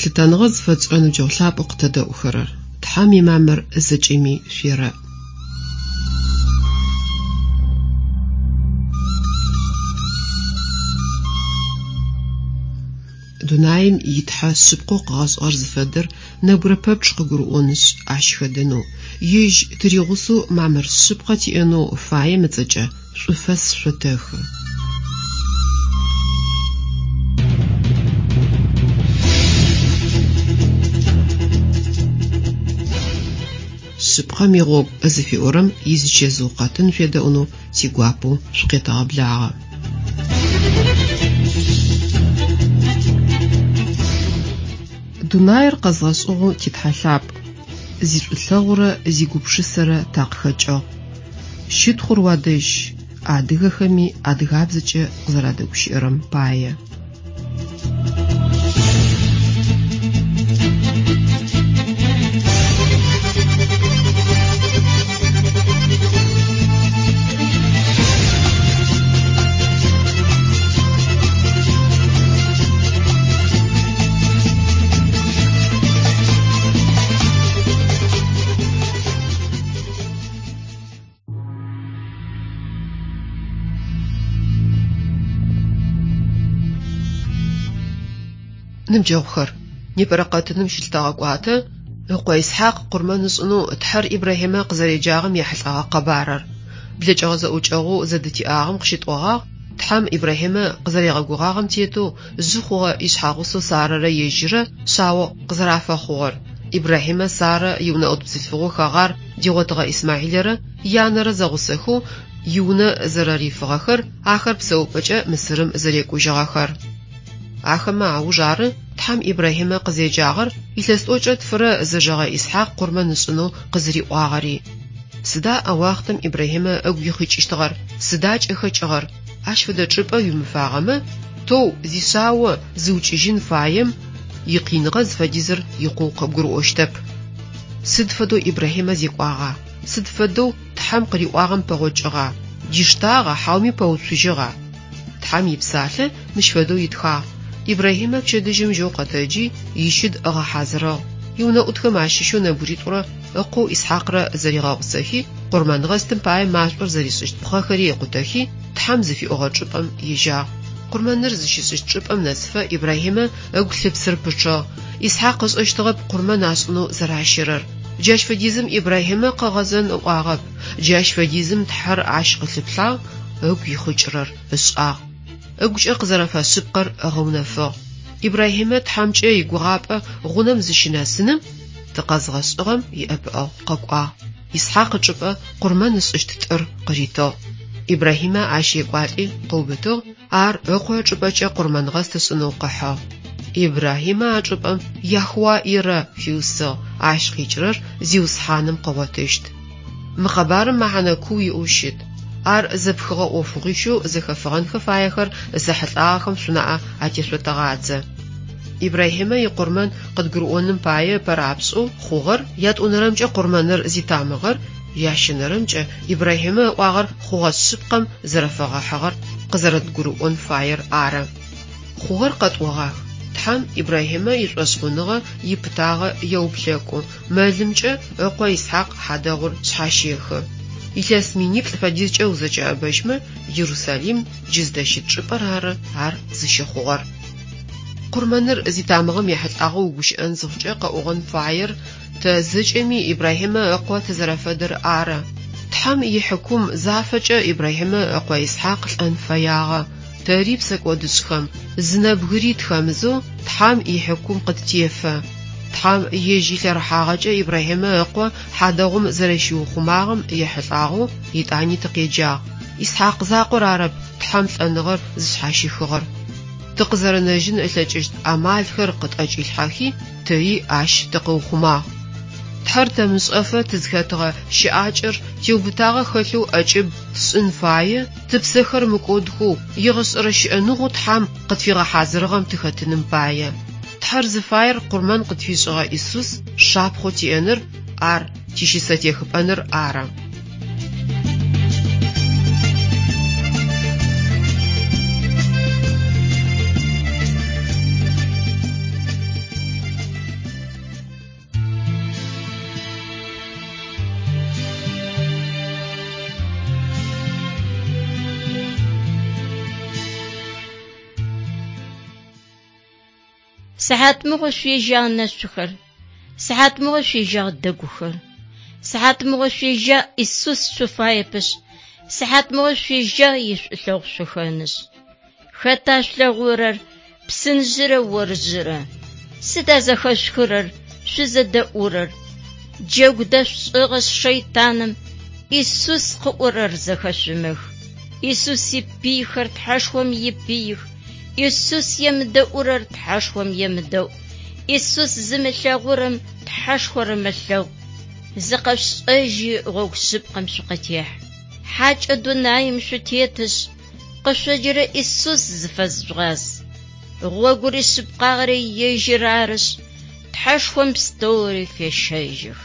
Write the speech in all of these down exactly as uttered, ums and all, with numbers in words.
Лъытэныгъэ зыфэтшӏырэ ныбджэгъу лъапӏэу къытэдэӏухэрэр, Тхьэм имамыр зэкӏэми шъуерэӏ. Дунаим итхьэ шъыпкъэу къыгъэшӏыгъэр зыфэдэр нэбгырэ пэпчъ къыгурыӏонышъ ащ хэдэнэу, ежь тыригъусэу мамыр шъыпкъэ тиӏэнэу фаем ыцӏэкӏэ шӏуфэс шъотэхы. Шъыпкъэм игъогу зыфиӏорэм изычэзыу къэтын шъуедэӏунэу тигуапэу шъукъетэгъэблагъэ. Дунаир къэзгъэшӏыгъэу титхьэ лъапӏ, зишӏулъэгъурэ зигупшысэрэ такъыхэкӏыгъ. Щытхъур уадэжь, адыгэхэми адыгабзэкӏэ къызэрадэгущыӏэрэм пае. Ныбджэгъухэр, непэрэ къэтыным щылъытэгъэкӏуатэ ыкъо Исхьакъ къурмэн ышӏынэу Тхьэр Ибрахьимэ къызэреджагъэм ехьылӏэгъэ къэбарыр. Блэкӏыгъэ зэӏукӏэгъоу зэдытиӏагъэм къыщытӏогъагъ Тхьэм Ибрахьимэ къызэригъэгугъагъэм тетэу жъы хъугъэ ишъхьэгъусэу Сарэрэ ежьыррэ шъао къызэрафэхъугъэр. Ибрахьимэ Сарэ иунэӏут бзылъфыгъэу Хэгъар дигъотыгъэ Исмахьилэрэ янэрэ зэгъусэхэу иунэ зэрэрифыгъэхэр, ахэр псэупӏэкӏэ Мысырым зэрекӏужьыгъэхэр. Ахэмэ ауж ары Тхьэм Ибрахьимэ къызеджагъэр илъэс тӏокӏрэ тфырэ зэжэгъэ Исхьакъ къурмэн ышӏынэу къызыриӏуагъэри. Сыда а уахътэм Ибрахьимэ ыгу ихъыкӏыщтыгъэр, сыда кӏэхэкӏыгъэр? Ащ фэдэ чӏыпӏэ уимыфагъэмэ, тэу зишъао зыукӏыжьын фаем икъиныгъэ зыфэдизыр икъоу къыбгурыӏощтэп. Сыд фэдэу Ибрахьимэ зекӏуагъа? Сыд фэдэу Тхьэм къыриӏуагъэм пэгъокӏыгъа? Диштагъа, хьауми пэуцужьыгъа? Тхьэм ипсалъэ мыщ фэдэу итхагъ. Ибрахьимэ пчэдыжьым жьэу къэтэджи, ищыд ыгъэхьазырыгъ. Иунэӏутхэм ащыщэу нэбгыритӏурэ ыкъоу Исхьакърэ зэригъэгъусэхи, къурмэнгъэстым пае машӏор зэришӏыщт пхъэхэри ыкъутэхи, Тхьэм зыфиӏогъэ чӏыпӏэм ежьагъ. Къурмэныр зыщишӏыщт чӏыпӏэм нэсыфэ Ибрахьимэ ыгу лъыпсыр пычъыгъ. Исхьакъ ышӏэщтыгъэп къурмэн ашӏынэу зэращэрэр. Джащ фэдизым Ибрахьимэ къыгъэзэн ыӏуагъэп. Джащ фэдизым Тхьэр ащ къылъыплъагъ, ыгу ихъыкӏырэр ышӏагъ. Ыгукӏэ къызэрэфэшъыпкъэр ыгъэунэфыгъ. Ибрахьимэ Тхьэмкӏэ игугъапӏэ гъунэм зыщынэсыным тыкъэзгъэшӏыгъэм иӏэпыӏэгъу къэкӏуагъ. Исхьакъ ычӏыпӏэ къурмэн ышӏыщт тӏыр къыритыгъ. Ибрахьимэ ащ екӏуалӏи къыубытыгъ, ар ыкъо ычӏыпӏэкӏэ къурмэнгъэст ышӏынэу къыхьыгъ. Ибрахьимэ а чӏыпӏэм Яхуа Ирэ фиусыгъ, ащ къикӏырэр Зиусхьаным къыгъотыщт. Мы къэбарым мэхьэнэ куу иӏэу щыт. Ар зэпхыгъэ ӏофыгъуищэу зэхэфыгъэнхэ фаехэр зэхьылӏагъэхэм шъунаӏэ атешъотэгъадзэ. Ибрахьимэ икъурмэн къыдгурыӏоным пае ыпэрапшӏэу хъугъэр, ятӏонэрэмкӏэ къурмэныр зитамыгъэр, ящэнэрэмкӏэ Ибрахьимэ ыӏуагъэр хъугъэ шъыпкъэм зэрэфэгъэхьыгъэр къызэрэдгурыӏон фаер ары. Хъугъэр къэтӏогъах. Тхьэм Ибрахьимэ ишӏошъхъуныгъэ ипытагъэ еуплъэкӏу, мэлымкӏэ ыкъо Исхьакъ хьадэгъур шъхьащехы. Илъэс миниплӏ фэдизкӏэ узэкӏэӏэбэжьмэ, Иерусалим джы зыдэщыт чӏыпӏэр ары ар зыщыхъугъэр. Къурмэныр зитамыгъэм ехьылӏагъэу угущыӏэн зыхъукӏэ къэӏогъэн фаер тэ зэкӏэми Ибрахьимэ ыкъо тызэрэфэдэр ары. Тхьэм ихьыкум зафэкӏэ Ибрахьимэ ыкъо Исхьакъ лӏэн фэягъэ. Тэри псэкӏодышӏхэм, зы нэбгыри тхэмызэу Тхьэм ихьыкум къыттефэ. Тхьэм ежь илъэрыхьагъэкӏэ Ибрахьимэ ыкъо хьадэгъум зэрэщиухъумагъэм ехьылӏагъэу етӏани тыкъеджагъ. Исхьакъ закъор арэп Тхьэм лӏэныгъэр зышъхьащихыгъэр. Тыкъызэрэнэжьын ылъэкӏыщт амалхэр къытӏэкӏилъхьэхи, тэри ащ тыкъыухъумагъ. Тхьэр тэмышӏэфэ тызхэтыгъэ щыӏакӏэр теубытагъэ хэлъэу ӏэкӏыб тшӏын фае, тыпсэхэр мыкӏодхэу, егъэшӏэрэ щыӏэныгъэу Тхьэм къытфигъэхьазырыгъэм тыхэтыным пае. Тхьэр зыфаер къурмэн къытфишӏыгъэ Исус шапхъэу тиӏэныр, ар тищысэтехыпӏэныр ары. Сыхьатмыгъо шъуежьагъ нэшъухэр, сыхьатмыгъо шъуежьагъ дэгухэр. Сыхьатмыгъо шъуежьагъ Исус шъуфаепышъ, сыхьатмыгъо шъуежьагъ ишӏулъэгъу шъухэнышъ. Хэта шъулъэгъурэр псынжъырэ оржъырэ? Сыда зэхэшъухырэр, шъузэдэӏурэр? Джэгу дэшъушӏыгъэшъ шэйтаным Исус къыӏорэр зэхэшъумых. Исус ипыйхэр Тхьэшхом ипыих. Исус емыдэӏурэр Тхьэшхом емыдэӏу. Исус зымылъэгъурэм Тхьэшхор ымылъэгъу. Зыкъэшъушӏэжьи гъогу шъыпкъэм шъукъытехь. Хьакӏэ дунаим шъутетышъ, къышъоджэрэ Исус зыфэжъугъаз. Гъогури шъыпкъагъэри ежьыр арышъ, Тхьэшхом пстэури фещэжьых.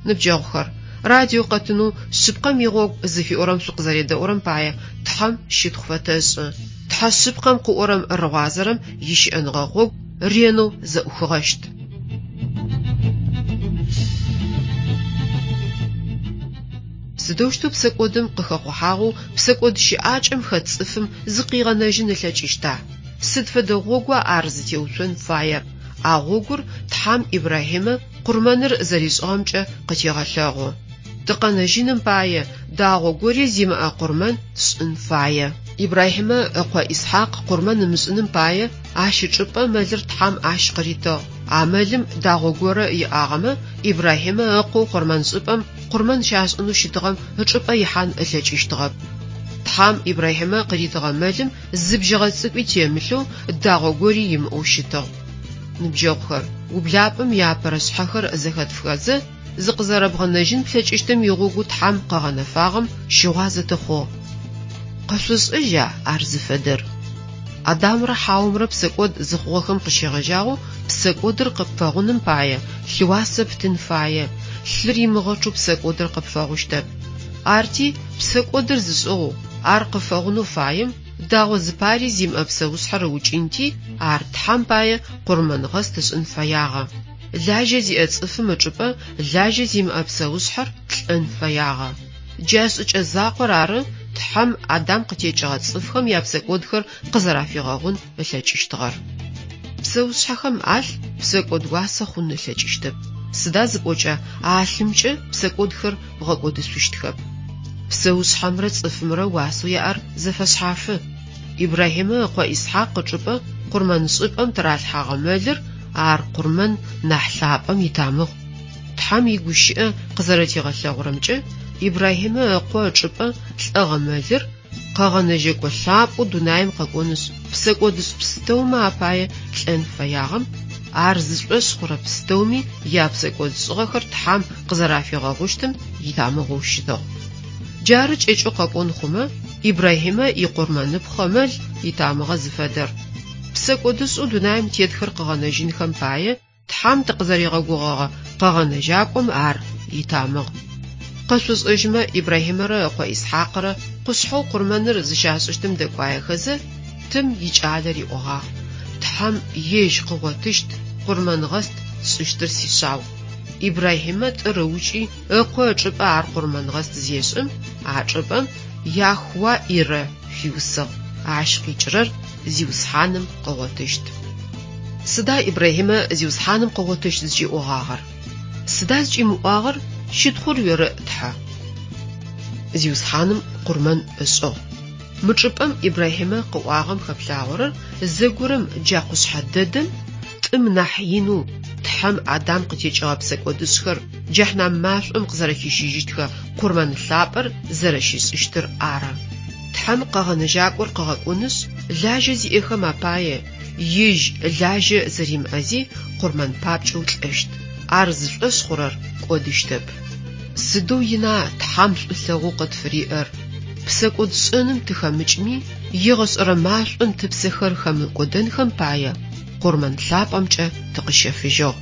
Ныбджэгъухэр, радио къэтынэу шъыпкъэм игъогу зыфиӏорэм шъукъызэредэӏурэм пае Тхьэм щытхъу фэтэшӏы. Тхьэ шъыпкъэм къыӏорэм рыгъуазэрэм ищыӏэныгъэ гъогу ренэу зэӏухыгъэщт. Сыдэущтэу псэкӏодым къыхэхъухьагъэу псэкӏод щыӏакӏэм хэт цӏыфым зыкъигъэнэжьын ылъэкӏыщта? Сыд фэдэ гъогуа ар зытеуцон фаер? А гъогур Тхьэм Ибрахьимэ къурмэныр зэришӏыгъэмкӏэ къытегъэлъэгъу. Тыкъэнэжьыным пае дагъо гори зимыӏэ къурмэн тшӏын фае. Ибрахьимэ ыкъо Исхьакъ къурмэн ымышӏыным пае ащ ычӏыпӏэ мэлыр Тхьэм ащ къыритыгъ. А мэлым дагъо горэ иӏагъэмэ, Ибрахьимэ ыкъоу къурмэншӏыпӏэм къурмэн щашӏынэу щытыгъэм ычӏыпӏэ ихьан ылъэкӏыщтыгъэп. Тхьэм Ибрахьимэ къыритыгъэ мэлым зы бжьыгъэ цӏыкӏуи темылъэу дагъо гори имыӏэу щытыгъ. Ныбджэгъухэр, ублапӏэм иапэрэ шъхьэхэр зэхэтфхэзэ, зыкъызэрэбгъэнэжьын плъэкӏыщтым игъогу Тхьэм къыгъэнэфагъэм щыгъуазэ тыхъугъ. Къэшъошӏэжьа ар зыфэдэр? Адамрэ Хьаомрэ псэкӏод зыхъугъэхэм къыщегъэжьагъэу псэкӏодыр къыпфэгъуным пае лъыуасэ птын фае, лъыр имыгъэчъэу псэкӏодыр къыпфэгъущтэп. Арти псэкӏодыр зышӏыгъэу, ар къыфэгъунэу фаем дагъо зыпари зимыӏэ псэушъхьэр ыукӏынти, ар Тхьэм пае къурмэнгъэст ышӏын фэягъэ. Лажьэ зиӏэ цӏыфым ычӏыпӏэ лажьэ зимыӏэ псэушъхьэр лӏэн фэягъэ. Джа шӏыкӏэ закъор ары Тхьэм Адам къытекӏыгъэ цӏыфхэм япсэкӏодхэр къызэрафигъэгъун ылъэкӏыщтыгъэр. Псэушъхьэхэм алъ псэкӏод уасэ хъун ылъэкӏыщтэп. Сыда зыпӏокӏэ а лъымкӏэ псэкӏодхэр бгъэкӏодышъущтхэп. Псэушъхьэмрэ цӏыфымрэ уасэу яӏэр зэфэшъхьафы. Ибрахьимэ ыкъо Исхьакъ ычӏыпӏэ къурмэншӏыпӏэм тыралъхьагъэ мэлыр ар къурмэн нахь лъапӏэм итамыгъ. Тхьэм игущыӏэ къызэрэтигъэлъэгъурэмкӏэ, Ибрахьимэ ыкъо ычӏыпӏэ лӏэгъэ мэлыр къэгъэнэжьэкӏо лъапӏэу дунаим къэкӏонышъ, псэкӏодышӏ пстэумэ апае лӏэн фэягъэм, ар зышӏошъ хъурэ пстэуми япсэкӏодшӏыгъэхэр Тхьэм къызэрафигъэгъущтым итамыгъэу щытыгъ. Джары кӏэкӏэу къэпӏон хъумэ, Ибрахьимэ икъурмэныпхъэ мэл итамыгъэ зыфэдэр. Псэкӏодышӏэу дунаим тетхэр къыгъэнэжьынхэм пае Тхьэм тыкъызэригъэгугъэгъэ къэгъэнэжьакӏом ар итамыгъ. Къэшъушӏэжьмэ Ибрахьимэрэ ыкъо Исхьакърэ къушъхьэу къурмэныр зыщашӏыщтым дэкӏуаехэзэ, тым икӏалэ риӏогъагъ: Тхьэм ежь къыгъотыщт къурмэнгъэст тшӏыщтыр сишъау. Ибрахьимэ тӏыр ыукӏи ыкъо ычӏыпӏэ ар къурмэнгъэст зешӏым, а чӏыпӏэм Яхуа Ирэ фиусыгъ. Ащ къикӏырэр Зиусхьаным къыгъотыщт. Сыда Ибрахьимэ Зиусхьаным къыгъотыщт зыкӏиӏогъагъэр? Сыда зыкӏимыӏуагъэр щытхъур уерэӏ Тхьэ? Зиусхьаным къурмэн ышӏыгъ. Мы чӏыпӏэм Ибрахьимэ къыӏуагъэм хэплъагъорэр зэгорэм джа къушъхьэ дэдэм тӏым нахь инэу Тхьэм Адам къытекӏыгъэ псэкӏодышӏхэр джэхьнам машӏом къызэрэхищыжьыщтхэ къурмэн лъапӏэр зэрэщишӏыщтыр ары. Тхьэм къэгъэнэжьакӏор къыгъэкӏонышъ, лажьэ зиӏэхэм апае ежь лажьэ зэримыӏэзи къурмэн папкӏэу лӏэщт. Ар зышӏошъ хъурэр кӏодыщтэп. Сыдэу ина Тхьэм шӏулъэгъоу къытфыриӏэр? Псэкӏодшӏэным тыхэмыкӏми, егъэшӏэрэ машӏом тыпсэхэр хэмыкӏодэнхэм пае къурмэн лъапӏэмкӏэ тыкъыщэфыжьыгъ.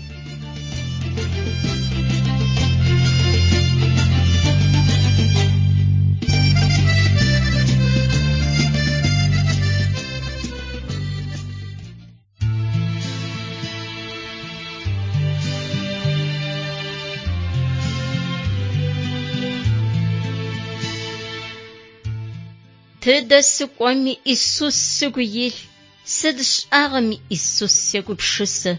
Тыдэ сыкӏоми Исус сыгу илъ, сыд сшӏагъэми Исус сегупшысэ.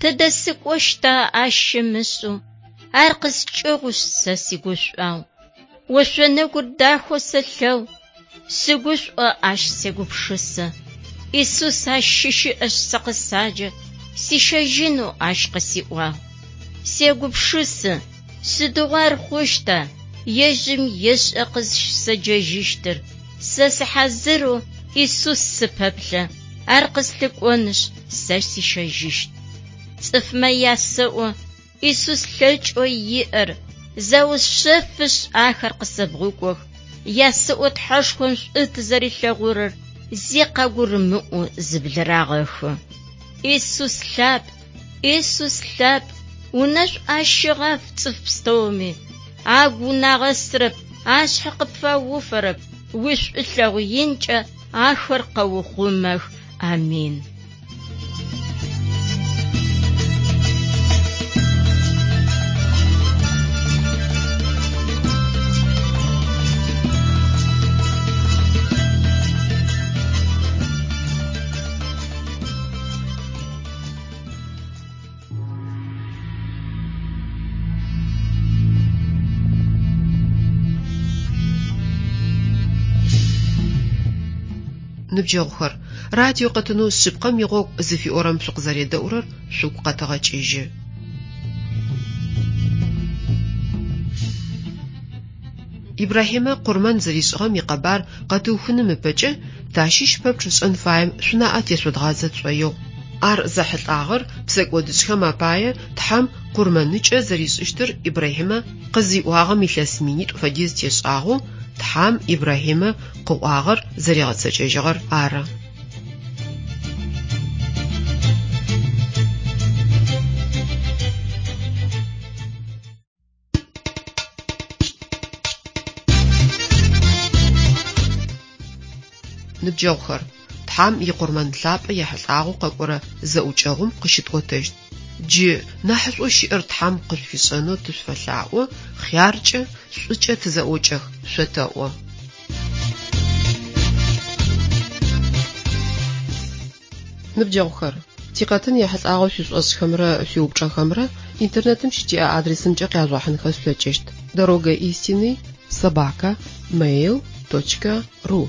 Тыдэ сыкӏощта ащ ымышӏэу, ар къыскӏыгъушъ сэ сигушӏуагъу. Ошъо нэгур дахэу сэлъэгъу, сыгушӏо ащ сегупшысэ. Исус ащ щыщыӏэшъ сэ къысаджэ, сищэжьынэу ащ къысиӏуагъ. Сегупшысэ, сыдигъо ар хъущта, ежьым ешӏэ къызщысэджэжьыщтыр. Сэ сыхьазырэу Исус сыпэплъэ, ар къыслъыкӏонышъ сэ сищэжьыщт. Цӏыфмэ ясэӏо Исус лъэкӏэу иӏэр, заушъэфышъ ахэр къысэбгъукӏох. Ясэӏо Тхьэшхом шӏу тызэрилъэгъурэр зи къагурымыӏоу зыблырагъэхы. Исус лъапӏ, Исус лъапӏ, унэшӏу ащ щыгъаф цӏыф пстэуми. Агу унагъэсырэп, ашъхьэ къыпфауфэрэп, уишӏулъэгъу инкӏэ ахэр къэухъумэх. Амин. Ныбджэгъухэр, радио къэтынэу шъыпкъэм игъогу зыфиӏорэм шъукъызэредэӏурэр шъугу къэтэгъэкӏыжьы. Ибрахьимэ къурмэн зэришӏыгъэм икъэбар къэтыухыным ыпэкӏэ тащыщ пэпчъ ышӏэн фаем шъунаӏэ тешъодгъадзэ тшӏоигъу. Ар зэхьылӏагъэр псэкӏодышӏхэм апае Тхьэм къурмэныкӏэ зэришӏыщтыр Ибрахьимэ къызиӏуагъэм илъэс минитӏу фэдиз тешӏагъэу Тхьэм Ибрахьимэ къыӏуагъэр зэригъэцэкӏэжьыгъэр ары. Ныбджэгъухэр, Тхьэм икъурмэн лъапӏэ ехьылӏагъэу къэкӏорэ зэӏукӏэгъум къыщытӏотэщт. Джы нахьышӏоу щыӏэр Тхьэм къышъуфишӏэнэу тышъуфэлъаӏо, хъяркӏэ, шӏукӏэ тызэӏокӏэх, шъотэӏо. Ныбджэгъухэр, тикъэтын ехьылӏагъэу шъуишӏошӏхэмрэ шъуиупчӏэхэмрэ интернетым щытиӏэ адресымкӏэ къяжъугъэхьынхэ шъулъэкӏыщт: дорога истины собака mail точка ру.